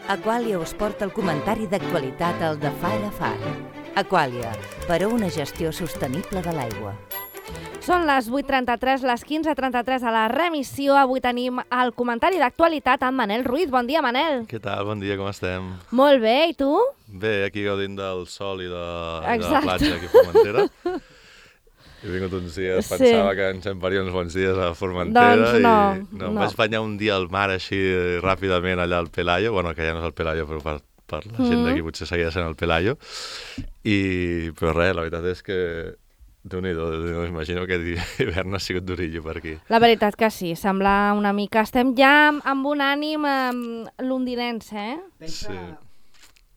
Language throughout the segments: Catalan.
Aquàlia us porta el comentari d'actualitat al de Far a Far. Aquàlia, per a una gestió sostenible de l'aigua. Són les 8:33, les 15:33 a la remissió. Avui tenim el comentari d'actualitat amb Manel Ruiz. Bon dia, Manel. Què tal? Bon dia, com estem? Molt bé, i tu? Bé, aquí gaudint del sol i de la platja aquí a Formentera. He vingut uns dies, pensava que ens faria uns bons dies a Formentera. Doncs no. Em vaig banyar un dia al mar així ràpidament allà al Pelayo. Bueno, que ja no és el Pelayo, però per la gent d'aquí potser seguia sent el Pelayo. Però res, la veritat és que Déu-n'hi-do, imagino que l'hivern ha sigut durillo per aquí. La veritat que sí, sembla una mica... Estem ja amb un ànim londinenc, Sí.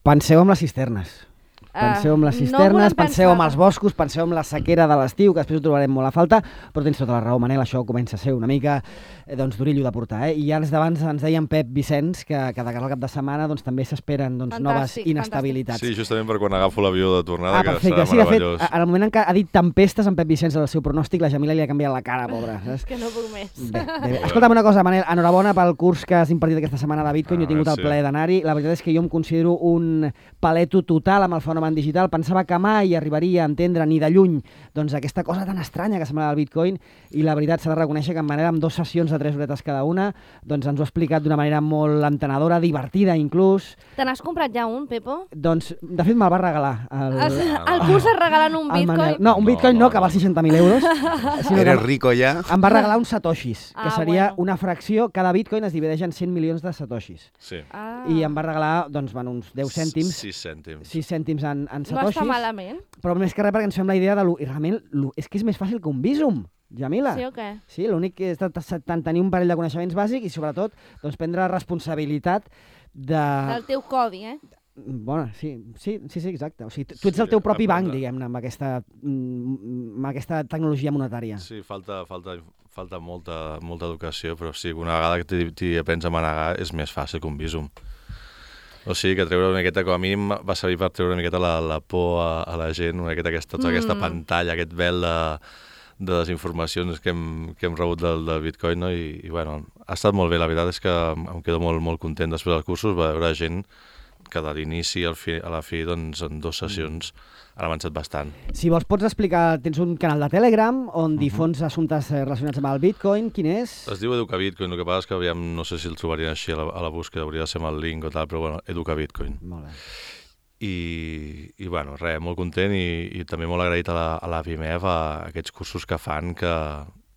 Penseu en les cisternes. Penseu en les cisternes, penseu en els boscos, penseu en la sequera de l'estiu, que després ho trobarem molt a falta, però tens tota la raó, Manel, això comença a ser una mica durillo de portar. I ja d'abans ens deia en Pep Vicenç que de cara al cap de setmana també s'esperen noves inestabilitats. Sí, justament per quan agafo l'avió de tornada, que perfecte. serà meravellós. De fet, en el moment en què ha dit tempestes en Pep Vicenç al seu pronòstic, la Jamila li ha canviat la cara, pobra. És que no puc més. Bé. Escolta'm una cosa, Manel, enhorabona pel curs que has impartit aquesta setmana de Bitcoin. Jo he tingut el plaer d'anar-hi. La veritat és que jo em considero un paleto total amb el fenomen digital. Pensava que mai arribaria a entendre ni de lluny aquesta cosa tan estranya que sembla el Bitcoin, i la veritat s'ha de reconèixer que en Manel, amb 2 sessions de 3 horetes cada una, ens ho ha explicat d'una manera molt entenedora, divertida inclús. Te n'has comprat ja un, Pepo? Doncs, de fet, me'l va regalar. El curs es regalen un Bitcoin? No, un Bitcoin no, que val 60.000 euros. Eres rico ja. Em va regalar uns satoshis, que seria una fracció, cada Bitcoin es divideix en 100 milions de satoshis. Sí. I em va regalar uns 10 cèntims. 6 cèntims en satoshis. No està malament. Però més que res perquè ens fem la idea de... I realment és que és més fàcil que un Bizum, Jamila. Sí o què? Sí, l'únic que és tenir un parell de coneixements bàsics i sobretot prendre la responsabilitat del teu codi, Bueno, sí, exacte. O sigui, tu ets el teu propi banc, diguem-ne, amb aquesta tecnologia monetària. Sí, falta molta educació, però sí, una vegada que t'hi aprens a manegar és més fàcil que un Bizum. O sigui, que treure una miqueta, com a mínim va servir per treure una miqueta la por a la gent, una miqueta aquesta pantalla, aquest vel de desinformacions que hem rebut del Bitcoin, no? I bueno, ha estat molt bé. La veritat és que em quedo molt, molt content després dels cursos, va veure gent que de l'inici a la fi, en 2 sessions han avançat bastant. Si vols pots explicar, tens un canal de Telegram on difons assumptes relacionats amb el Bitcoin, quin és? Es diu Educa Bitcoin, el que passa és que no sé si el trobarien així a la búsqueda, hauria de ser amb el link o tal, però bueno, Educa Bitcoin. Molt bé. I bueno, res, molt content i també molt agraït a la PIMEF a aquests cursos que fan, que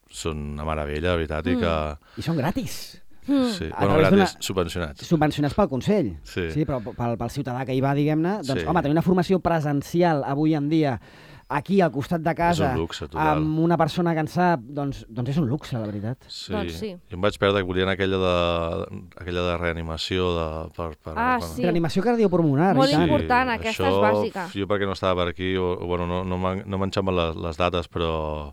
són una meravella, la veritat, I són gratis. Sí, bueno, gratis, subvencionats. Subvencionats pel Consell, sí, però pel ciutadà que hi va, diguem-ne, home, tenir una formació presencial avui en dia aquí al costat de casa, és un luxe, total, amb una persona que en sap, doncs és un luxe, la veritat. Sí. Doncs sí. Jo em vaig perdre que volien aquella de reanimació sí. Reanimació cardiopulmonar. Molt important, aquesta és bàsica. Jo perquè no estava per aquí, bueno, no m'enxamben les dates, però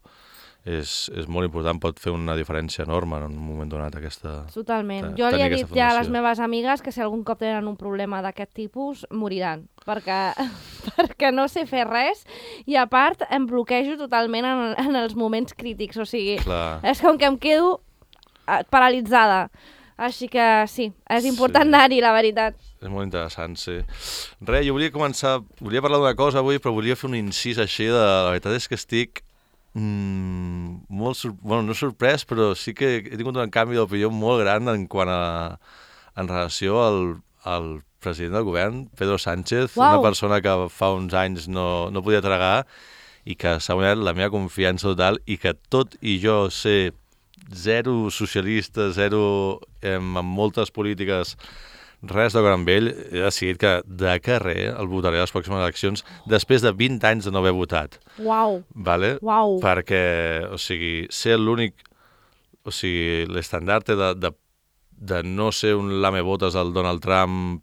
és molt important, pot fer una diferència enorme en un moment donat aquesta... Totalment. Jo li he dit ja a les meves amigues que si algun cop tenen un problema d'aquest tipus, moriran, perquè no sé fer res i a part em bloquejo totalment en els moments crítics, o sigui, és com que em quedo paralitzada. Així que sí, és important anar-hi, la veritat. És molt interessant, sí. Res, jo volia parlar d'una cosa avui, però volia fer un incís així la veritat és que estic no sorprès, però sí que he tingut un canvi d'opinió molt gran en relació al president del govern, Pedro Sánchez, una persona que fa uns anys no podia tragar i que s'ha guanyat la meva confiança total, i que tot i jo ser zero socialista, zero amb moltes polítiques, res de gran vell, he decidit que de carrer el votaré a les pròximes eleccions després de 20 anys de no haver votat. Uau! Vale? Uau! Perquè, o sigui, ser l'únic... O sigui, l'estandard de no ser un lamebotes al Donald Trump,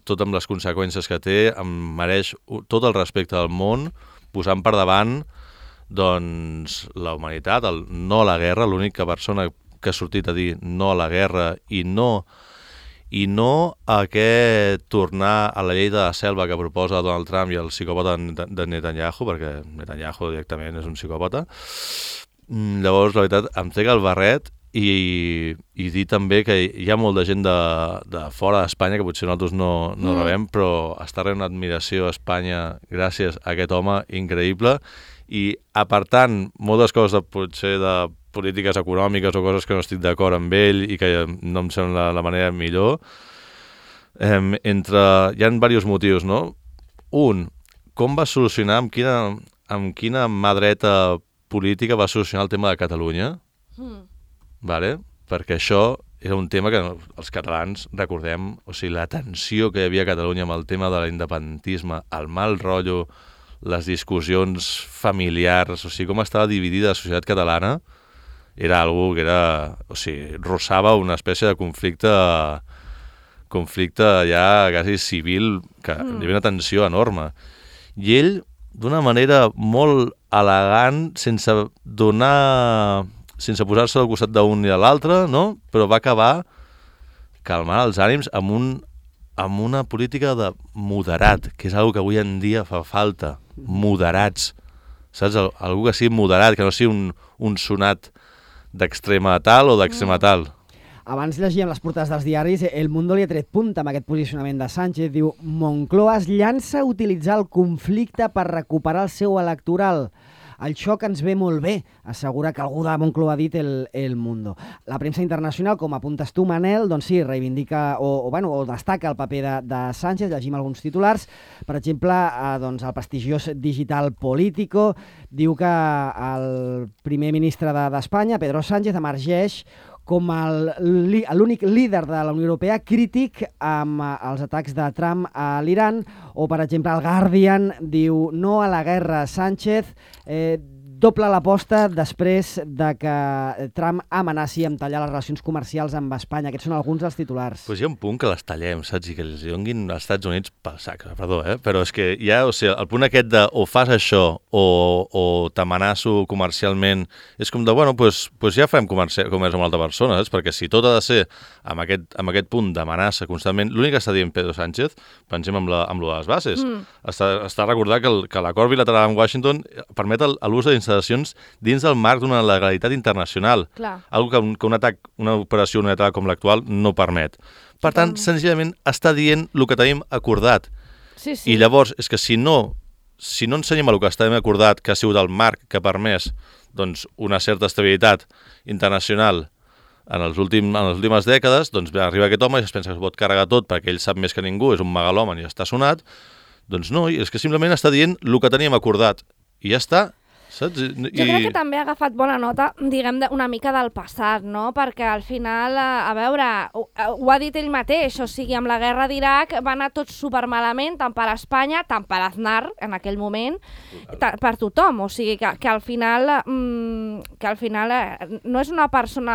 tot amb les conseqüències que té, em mereix tot el respecte del món, posant per davant doncs la humanitat, el no a la guerra, l'única persona que ha sortit a dir no a la guerra i no a tornar a la llei de la selva que proposa Donald Trump i el psicòpata de Netanyahu, perquè Netanyahu directament és un psicòpata. Llavors, la veritat, em trec el barret i dir també que hi ha molta gent de fora d'Espanya que potser nosaltres no rebem, però està rebent una admiració a Espanya gràcies a aquest home increïble, i apartant moltes coses potser de polítiques econòmiques o coses que no estic d'acord amb ell i que no em sembla la manera millor, hi ha diversos motius, no? Un, com va solucionar, amb quina mà dreta política va solucionar el tema de Catalunya? Vale? Perquè això era un tema que els catalans recordem, o sigui, la tensió que hi havia a Catalunya amb el tema de l'independentisme, el mal rotllo, les discussions familiars, o sigui, com estava dividida la societat catalana, era algo que era, o sigui, rossava una espècie de conflicte ja quasi civil, que hi havia una tensió enorme. I ell, d'una manera molt elegant, sense posar-se al costat d'un i de l'altre, no? Però va acabar calmant els ànims amb una política de moderat, que és una que avui en dia fa falta, moderats, saps? Algú que sigui moderat, que no sigui un sonat d'extrema tal o d'extrema tal. Abans llegíem les portades dels diaris, El Mundo li ha tret punta amb aquest posicionament de Sánchez. Diu, Moncloa es llança a utilitzar el conflicte per recuperar el seu electoral. El xoc ens ve molt bé, assegura que algú de Moncloa ha dit el Mundo. La premsa internacional, com apuntes tu, Manel, doncs sí, reivindica o destaca el paper de Sánchez. Llegim alguns titulars. Per exemple, doncs, el prestigiós digital Político diu que el primer ministre d'Espanya, Pedro Sánchez, emergeix com l'únic líder de la Unió Europea crític amb els atacs de Trump a l'Iran, o, per exemple, el Guardian diu no a la guerra, Sánchez doble l'aposta després de que Trump amenaci amb tallar les relacions comercials amb Espanya. Aquests són alguns dels titulars. Pues hi ha un punt que les tallem, saps? I que els donguin als Estats Units pel sac, perdó, però és que hi ha, o sigui, el punt aquest de o fas això o t'amenaço comercialment, és com de, bueno, pues ja farem comerç amb una altra persona, saps? Perquè si tot ha de ser amb aquest punt d'amenaça constantment, l'únic que està dient Pedro Sánchez, pensem amb lo de les bases, està recordar que l'acord bilateral amb Washington permet l'ús d'instal·lacions dins del marc d'una legalitat internacional. Algo que un atac, una operació unilateral com l'actual no permet. Per tant, senzillament està dient el que tenim acordat. Sí. I llavors, és que si no ensenyem el que estem acordat, que ha sigut el marc que ha permès doncs, una certa estabilitat internacional en les últimes dècades, doncs arriba aquest home i es pensa que es pot carregar tot perquè ell sap més que ningú, és un megalòman i està sonat. Doncs no, és que simplement està dient el que teníem acordat. I ja està. Saps? Jo crec que també ha agafat bona nota, diguem, una mica del passat, no? Perquè al final, a veure, ho ha dit ell mateix, o sigui, amb la guerra d'Iraq va anar tot supermalament, tant per Espanya, tant per Aznar, en aquell moment, per tothom. O sigui, que al final no és una persona...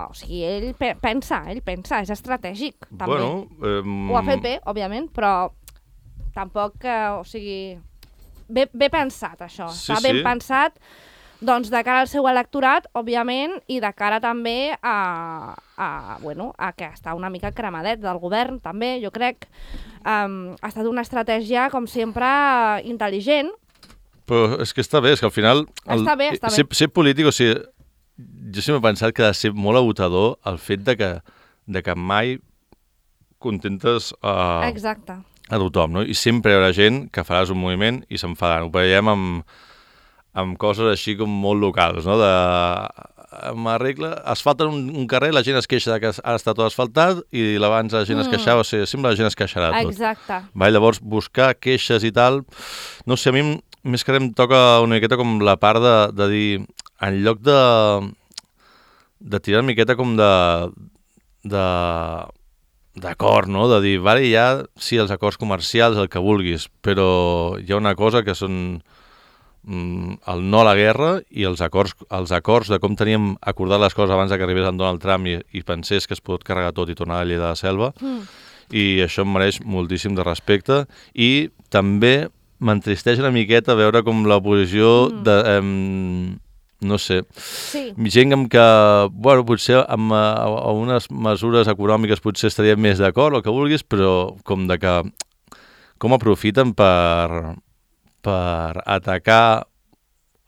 O sigui, ell pensa, és estratègic, també. Bueno, ho ha fet bé, òbviament, però tampoc, o sigui... Ben pensat, això. Està ben pensat, doncs, de cara al seu electorat, òbviament, i de cara també a que està una mica cremadet del govern, també, jo crec. Ha estat una estratègia, com sempre, intel·ligent. Però és que està bé, és que al final... Està bé. Ser polític, o sigui, jo sempre he pensat que ha de ser molt agotador el fet de que mai contentes Exacte. A tothom, no? I sempre hi haurà gent que faràs un moviment i s'enfadarà. Ho veiem amb coses així com molt locals, no? Asfalten un carrer, la gent es queixa que ha estat tot asfaltat i abans la gent es queixava, o sigui, sempre la gent es queixarà tot. Exacte. Llavors, buscar queixes i tal... No sé, a mi més que em toca una miqueta com la part de dir, en lloc de tirar una miqueta com d'acord, no? De dir, vale, ja, sí, els acords comercials, el que vulguis, però hi ha una cosa que són el no a la guerra i els acords de com teníem acordat les coses abans que arribés en Donald Trump i pensés que es pot carregar tot i tornar a la llei de la selva. I això em mereix moltíssim de respecte. I també m'entristeix una miqueta veure com l'oposició no sé, gent amb que, bueno, potser amb unes mesures econòmiques potser estaria més d'acord, el que vulguis, però com de que com aprofiten per atacar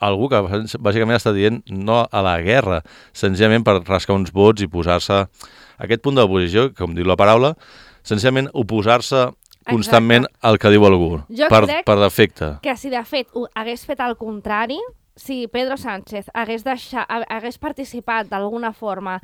algú que bàsicament està dient no a la guerra, senzillament per rascar uns vots i posar-se aquest punt de l'oposició, com diu la paraula, senzillament oposar-se constantment al que diu algú, per defecte. Que si de fet hagués fet el contrari, si Pedro Sánchez hagués participat d'alguna forma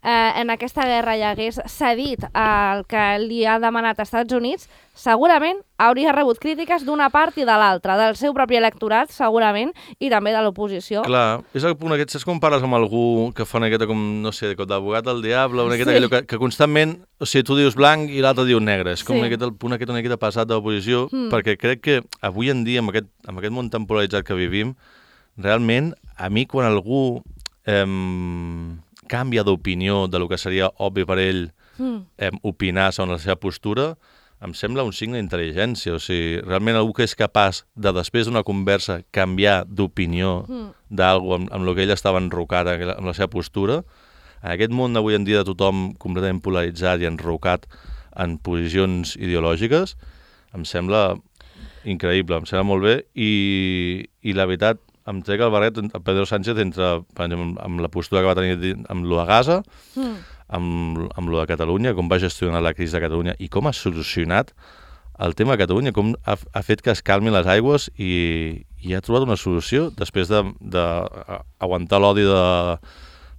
en aquesta guerra i hagués cedit el que li ha demanat als Estats Units, segurament hauria rebut crítiques d'una part i de l'altra, del seu propi electorat, segurament, i també de l'oposició. Clar, és el punt aquest, saps com parles amb algú que fa una miqueta com, no sé, d'advocat del diable, una miqueta allò que constantment, o sigui, tu dius blanc i l'altre diu negre, és com el punt aquest una miqueta passat de l'oposició, perquè crec que avui en dia, amb aquest món tan polaritzat que vivim, realment, a mi, quan algú canvia d'opinió de lo que seria obvi per ell opinar sobre la seva postura, em sembla un signe d'intel·ligència. O sigui, realment algú que és capaç de, després d'una conversa, canviar d'opinió d'algú amb el que ell estava enrocat amb la seva postura, en aquest món d'avui en dia de tothom completament polaritzat i enrocat en posicions ideològiques, em sembla increïble, em sembla molt bé, i la veritat, em trec el barret a Pedro Sánchez entre, per exemple, amb la postura que va tenir amb lo de Gaza, amb lo de Catalunya, com va gestionar la crisi de Catalunya i com ha solucionat el tema de Catalunya, com ha fet que es calmin les aigües i ha trobat una solució després d'aguantar l'odi de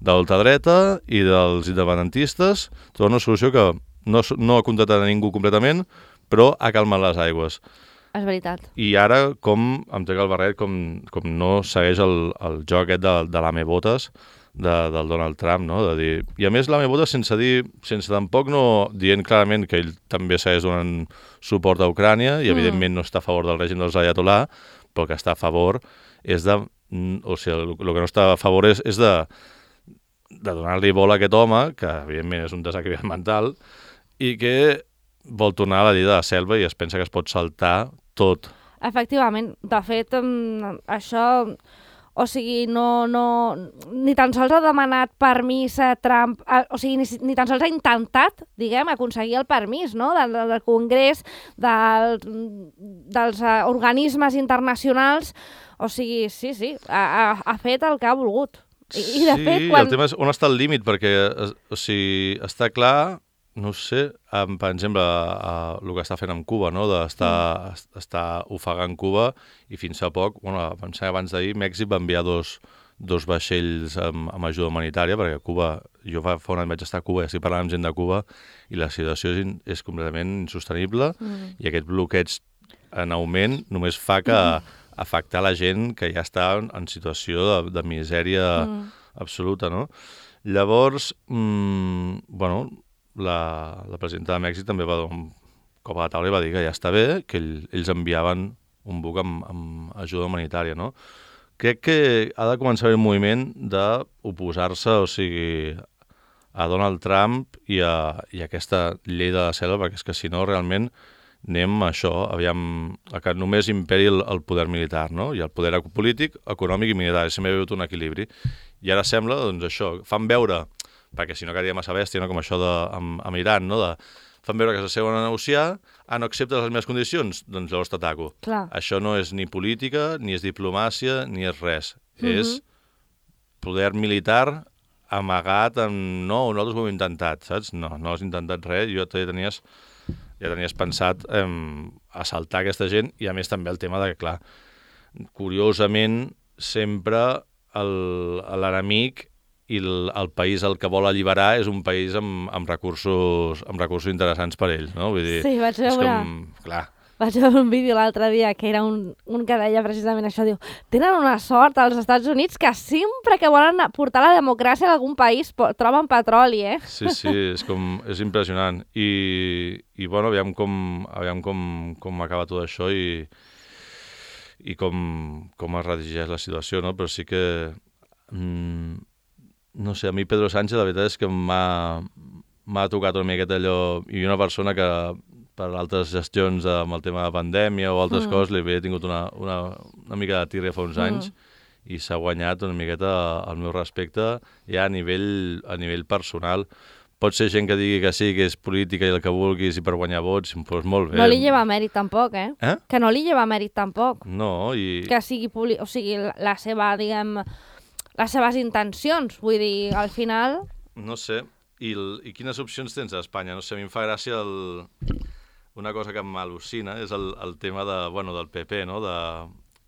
l'ultradreta i dels independentistes, trobar una solució que no ha contratat a ningú completament, però ha calmat les aigües. És veritat. I ara, com em trec el barret, com no segueix el joc aquest de l'ame-botes del Donald Trump, no? De dir, i a més l'ame-botes sense tampoc no dient clarament que ell també segueix donant suport a Ucrània i evidentment no està a favor del règim dels Ayatollah, però el que està a favor és de... O sigui, el que no està a favor és de donar-li bola a aquest home, que evidentment és un desequilibrat mental, i que vol tornar a la llei de la selva i es pensa que es pot saltar tot. Efectivament. De fet, això... O sigui, ni tan sols ha demanat permís a Trump... O sigui, ni tan sols ha intentat, diguem, aconseguir el permís, no?, del Congrés, dels organismes internacionals. O sigui, sí, ha fet el que ha volgut. I de fet, el tema és on està el límit, perquè, o sigui, està clar... No sé, per exemple, el que està fent amb Cuba, no? d'estar ofegant Cuba, i fins a poc, pensem abans d'ahir, Mèxic va enviar dos vaixells amb ajuda humanitària, perquè Cuba, jo fa un any vaig estar a Cuba i estic parlant amb gent de Cuba, i la situació és completament insostenible, i aquest bloqueig en augment només fa que afectar la gent que ja està en situació de misèria absoluta, no? Llavors, la presidenta de Mèxic també va donar un cop a la taula i va dir que ja està bé, que ells enviaven un buc amb ajuda humanitària, no? Crec que ha de començar a haver un moviment d'oposar-se, o sigui, a Donald Trump i a aquesta llei de la selva, perquè és que si no, realment anem a això, que només imperi el poder militar, no? I el poder polític, econòmic i militar, sempre hi ha hagut un equilibri. I ara sembla, doncs això, fan veure, perquè si no quedaria massa bèstia, no? Com això amb Iran, no? Fan veure que s'asseuen a negociar, no acceptes les meves condicions, doncs llavors t'ataco. Això no és ni política, ni és diplomàcia, ni és res. És poder militar amagat amb... No, nosaltres ho hem intentat, saps? No has intentat res, ja tenies pensat assaltar aquesta gent, i a més també el tema de que, clar, curiosament, sempre l'enemic i el país el que vol alliberar és un país amb recursos interessants per ells, no? Vull dir, sí, vaig veure un vídeo l'altre dia que era un que deia precisament això, diu, tenen una sort als Estats Units que sempre que volen portar la democràcia a algun país troben petroli, Sí, és impressionant. I bueno, aviam com acaba tot això i com es redigeix la situació, no? Però sí que... No sé, a mi Pedro Sánchez la veritat és que m'ha tocat una miqueta allò, i una persona que per altres gestions amb el tema de pandèmia o altres coses li havia tingut una mica de tírria fa uns anys i s'ha guanyat una miqueta el meu respecte ja a nivell personal, pot ser gent que digui que sí, que és política i el que vulguis i per guanyar vots, doncs molt bé. No li lleva mèrit tampoc, Que no li lleva mèrit tampoc. No, i... Que sigui o sigui, la seva, diguem, les seves intencions, vull dir, al final... No sé, i quines opcions tens a Espanya? No sé, a mi em fa gràcia una cosa que m'al·lucina, és el tema del PP, no?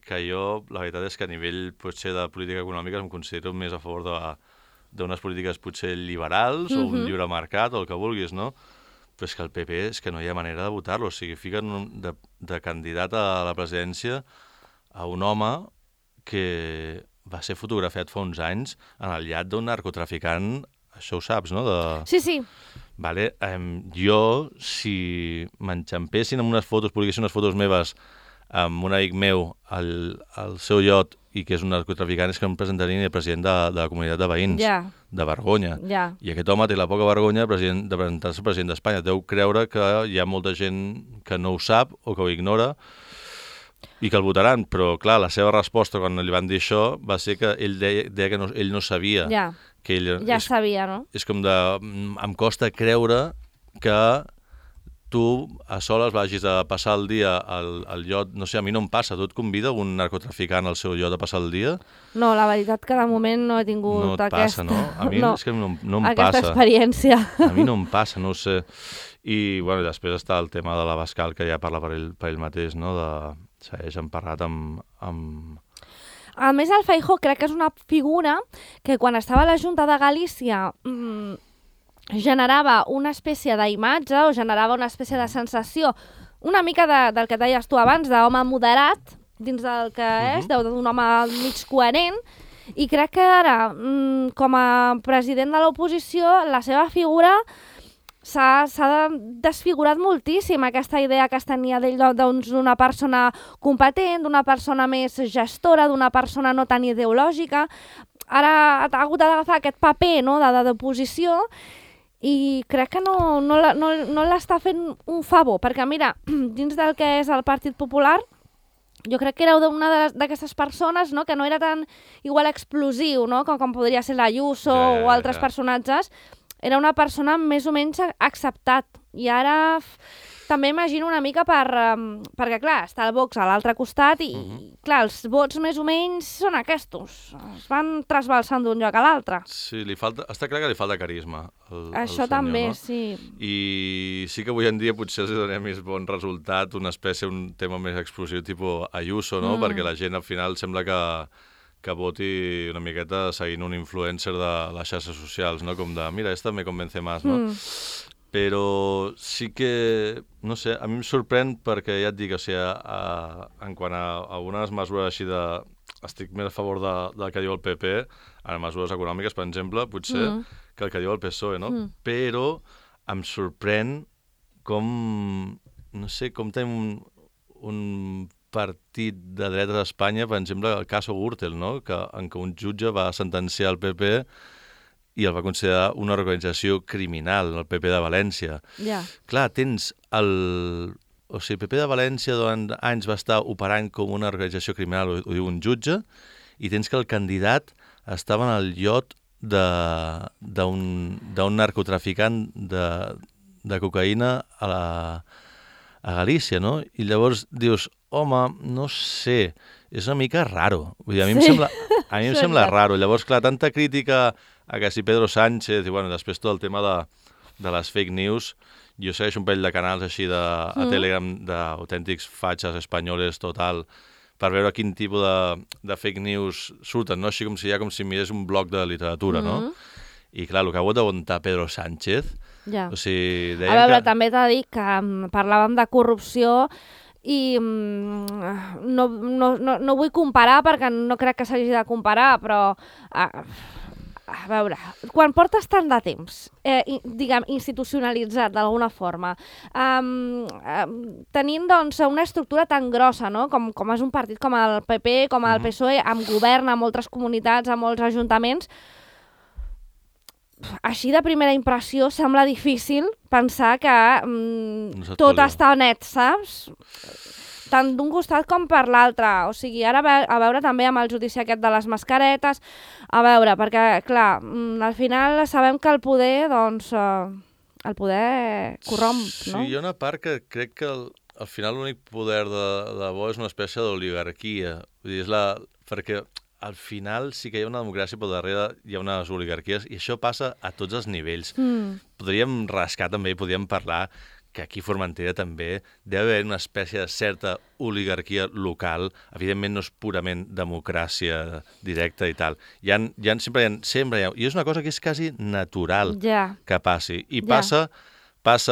Que jo, la veritat és que a nivell potser de política econòmica em considero més a favor d'unes polítiques potser liberals o un lliure mercat o el que vulguis, no? Però és que el PP és que no hi ha manera de votar-lo. O sigui, fiquen de candidat a la presidència a un home que va ser fotografiat fa uns anys en el llat d'un narcotraficant, això ho saps, no? Sí. Vale, jo, si m'enxampessin amb unes fotos, publiquessin unes fotos meves amb un amic meu al seu iot i que és un narcotraficant, és que em presentarien el president de la comunitat de veïns, de vergonya. I aquest home té la poca vergonya de presentar-se president d'Espanya. Deu creure que hi ha molta gent que no ho sap o que ho ignora i que el votaran, però clar, la seva resposta quan li van dir això va ser que ell deia que ell no sabia. Que ell, sabia, no? És com em costa creure que tu a soles vagis a passar el dia al iot, no sé, a mi no em passa, tu et convida un narcotraficant al seu iot a passar el dia? No, la veritat que de moment no he tingut passa, no? A mi és que no em passa. Aquesta experiència. A mi no em passa, no ho sé. I, bueno, després està el tema de l'Abascal, que ja parla per ell mateix, no? Segueix emparrat amb... A més, el Feijóo crec que és una figura que quan estava a la Junta de Galícia generava una espècie d'imatge o generava una espècie de sensació una mica del que deies tu abans, d'home moderat dins del que és, d'un home mig coherent, i crec que ara, com a president de l'oposició, la seva figura s'ha desfigurat moltíssim, aquesta idea que es tenia d'ell d'una persona competent, d'una persona més gestora, d'una persona no tan ideològica. Ara ha hagut d'agafar aquest paper, no?, d'oposició, i crec que no l'està fent un favor, perquè mira, dins del que és el Partit Popular, jo crec que era una d'aquestes persones, no?, que no era tan igual explosiu, no?, com podria ser l'Ayuso o altres personatges. Era una persona més o menys acceptat. I ara també imagino una mica perquè, clar, està el Vox a l'altre costat i, clar, els vots més o menys són aquests. Es van trasbalsant d'un lloc a l'altre. Sí, està clar que li falta carisma. Això senyor, també, no? Sí. I sí que avui en dia potser els donem més bon resultat, un tema més explosiu, tipus Ayuso, no? Perquè la gent al final sembla que voti una miqueta seguint un influencer de les xarxes socials, no? Com de, mira, esta me convence más, no? Però sí que, no sé, a mi em sorprèn perquè ja et dic, o sigui, en quant a algunes mesures així estic més a favor del que diu el PP, en mesures econòmiques, per exemple, potser, que el que diu el PSOE, no? Però em sorprèn com, no sé, com tenim un partit de dretes a Espanya, per exemple, el cas Gürtel, no? En què un jutge va sentenciar el PP i el va considerar una organització criminal, el PP de València. Clar, tens o sigui, el PP de València durant anys va estar operant com una organització criminal, ho diu un jutge, i tens que el candidat estava en el iot d'un narcotraficant de cocaïna a Galícia, no? I llavors dius, home, no sé, és una mica raro. Vull dir, a mi em sembla raro. Llavors, clar, tanta crítica a que si Pedro Sánchez, i bueno, després tot el tema de les fake news, jo segueixo un parell de canals així a Telegram d'autèntics fatxes espanyoles total, per veure quin tipus de fake news surten, no? Així com si mirés un bloc de literatura, no? I clar, el que ha hagut d'aguantar Pedro Sánchez, o sigui, deien a veure, també t'ha dit que parlàvem de corrupció i no vull comparar perquè no crec que s'hagi de comparar, però a veure, quan portes tant de temps, diguem, institucionalitzat d'alguna forma, tenint doncs una estructura tan grossa, no?, com és un partit com el PP, com el PSOE, amb govern, a moltes comunitats, a molts ajuntaments, així de primera impressió sembla difícil pensar que tot està net, saps? tant d'un costat com per l'altre. O sigui, ara a veure també amb el judici aquest de les mascaretes, a veure, perquè, clar, al final sabem que el poder, doncs, el poder corromp, no? Sí, hi ha una part que crec que al final l'únic poder de bo és una espècie d'oligarquia. Vull dir, perquè al final sí que hi ha una democràcia, però darrere hi ha unes oligarquies, i això passa a tots els nivells. Podríem rascar també i podríem parlar que aquí a Formentera també deu haver una espècie de certa oligarquia local. Evidentment no és purament democràcia directa i tal. Sempre hi ha, i és una cosa que és quasi natural que passi. I passa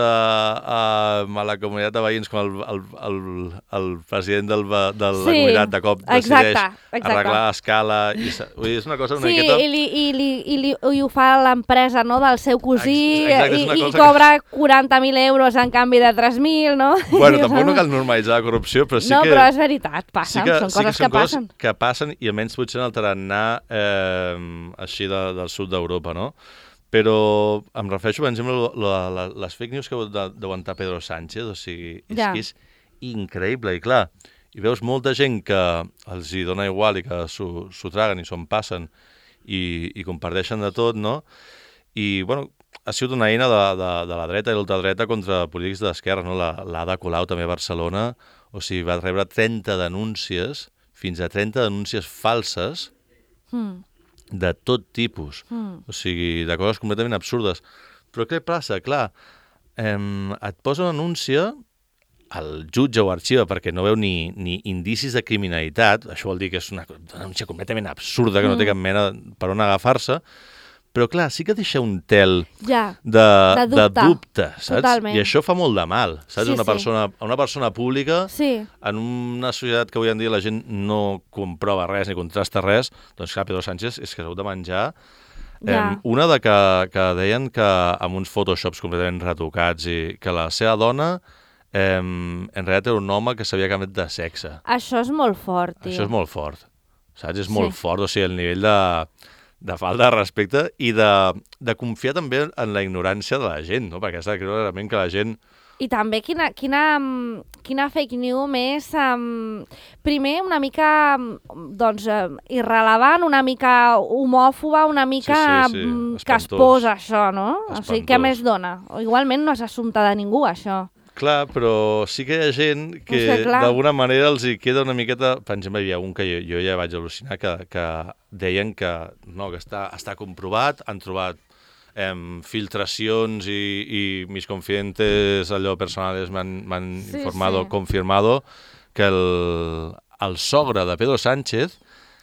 a la comunitat de veïns com el president de la comunitat de cop decideix arreglar l'escala. És una cosa una miqueta... I ho fa l'empresa, no?, del seu cosí i cobra 40.000 euros en canvi de 3.000, no? Bueno, tampoc no cal normalitzar la corrupció, però sí que... No, però és veritat, passen, són coses que passen. Que passen i almenys potser en el tarannà així del sud d'Europa, no? Però em refereixo, per exemple, a les fake news que deu aguantar Pedro Sánchez, o sigui, és que és increïble, i clar, i veus molta gent que els hi dona igual i que s'ho traguen i s'ho passen i comparteixen de tot, no? I, bueno, ha sigut una eina de la dreta i l'ultradreta contra polítics d'esquerra, no? L'Ada Colau també a Barcelona, o sigui, va rebre 30 denúncies, fins a 30 denúncies falses, de tot tipus, o sigui, de coses completament absurdes. Però què passa? Clar, et posa una denúncia, el jutge o arxiva perquè no veu ni indicis de criminalitat, això vol dir que és una denúncia completament absurda, que no té cap mena per on agafar-se, però clar, sí que deixa un tel de dubte, saps? Totalment. I això fa molt de mal, saps? Una persona pública, en una societat que avui en dia la gent no comprova res ni contrasta res, doncs clar, Pedro Sánchez és que s'ha hagut de menjar. Una que deien que amb uns photoshops completament retocats i que la seva dona en realitat era un home que s'havia canviat de sexe. Això és molt fort, tio. Això és molt fort, saps? És molt fort, o sigui, el nivell de falta de respecte i de confiar també en la ignorància de la gent, no? Perquè has de creure realment que la gent... I també quina fake news més, primer una mica doncs, irrelevant, una mica homòfoba, una mica que es posa això, no? Espantós. O sigui, què més dona? Igualment no és assumpte de ningú, això. Clar, però sí que hi ha gent que d'alguna manera els hi queda una miqueta... Per exemple, hi ha un que jo ja vaig al·lucinar que deien que està comprovat, han trobat filtracions i mis confidentes, allò personales m'han informado, confirmado, que el sogre de Pedro Sánchez,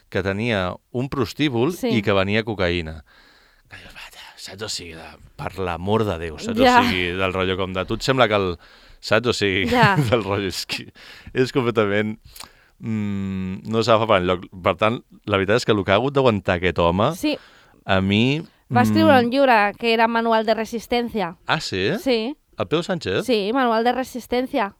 que tenia un prostíbul i que venia cocaïna. Saps? O sigui, per l'amor de Déu, saps? O sigui, del rotllo com de... Tu et sembla que saps? O sigui, del rotllo és completament... no s'agafa per enlloc. Per tant, la veritat és que el que ha hagut d'aguantar aquest home, a mi... Va escriure un llibre que era Manual de Resistència. Ah, sí? Sí. El Pedro Sánchez? Sí, Manual de Resistència.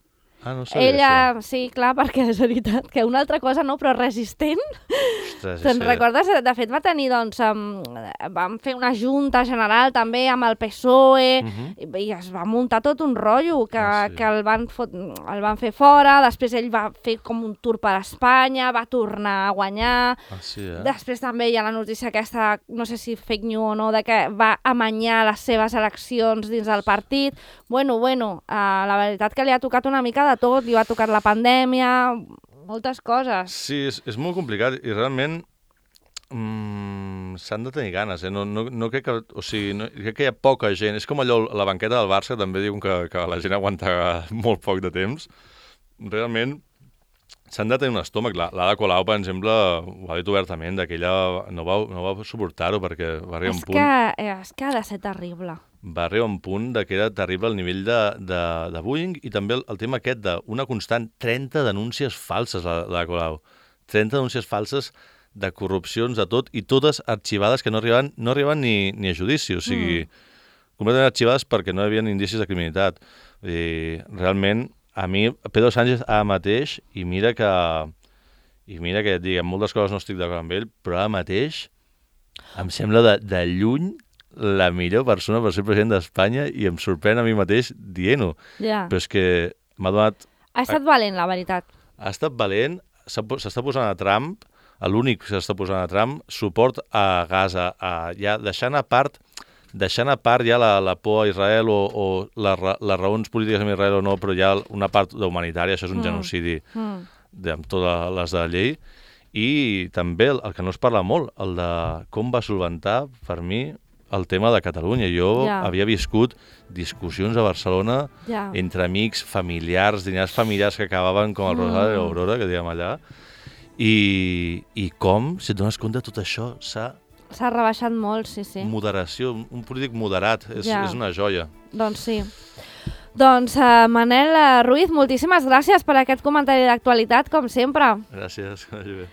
Ah, no sabia això. Sí, clar, perquè és veritat que una altra cosa no, però resistent. Ostres, te'n recordes? De fet, va tenir, doncs, vam fer una junta general també amb el PSOE i es va muntar tot un rotllo que el van fer fora, després ell va fer com un tour per Espanya, va tornar a guanyar, després també hi ha la notícia aquesta, no sé si fake news o no, de que va amanyar les seves eleccions dins del partit. Bueno, la veritat que li ha tocat una mica de tot, li va tocar la pandèmia, moltes coses. Sí, és molt complicat i realment s'han de tenir ganes, no crec que... O sigui, crec que hi ha poca gent. És com allò, la banqueta del Barça, també diuen que la gent aguanta molt poc de temps. Realment s'han de tenir un estómac. L'Ada Colau, per exemple, ho ha dit obertament, que ella no va suportar-ho perquè va arribar un punt... És que ha de ser terrible. Va arribar un punt que era terrible el nivell de bullying i també el tema aquest d'una constant 30 denúncies falses, la Colau. 30 denúncies falses de corrupcions, de tot, i totes arxivades que no arribaven ni a judici, o sigui, completament arxivades perquè no hi havia indicis de criminalitat. I realment, a mi, Pedro Sánchez ara mateix, i mira que et dic, en moltes coses no estic d'acord amb ell, però ara mateix em sembla de lluny la millor persona per ser president d'Espanya i em sorprèn a mi mateix dient-ho. Però és que m'ha donat... Ha estat valent, la veritat. ha estat valent, s'està posant a Trump, l'únic que s'està posant a Trump, suport a Gaza, ja deixant a part ja la por a Israel o les raons polítiques amb Israel o no, però ja una part humanitària, això és un genocidi amb totes les de la llei. I també el que no es parla molt, el de com va solventar, per mi, el tema de Catalunya. Jo havia viscut discussions a Barcelona entre amics, familiars, dinars familiars que acabaven com el Rosal i l'Aurora, que diguem allà, i com, si et dones compte, tot això s'ha rebaixat molt, sí. Moderació, un polític moderat, és una joia. Doncs sí. Doncs, Manel Ruiz, moltíssimes gràcies per aquest comentari d'actualitat, com sempre. Gràcies, que vagi bé.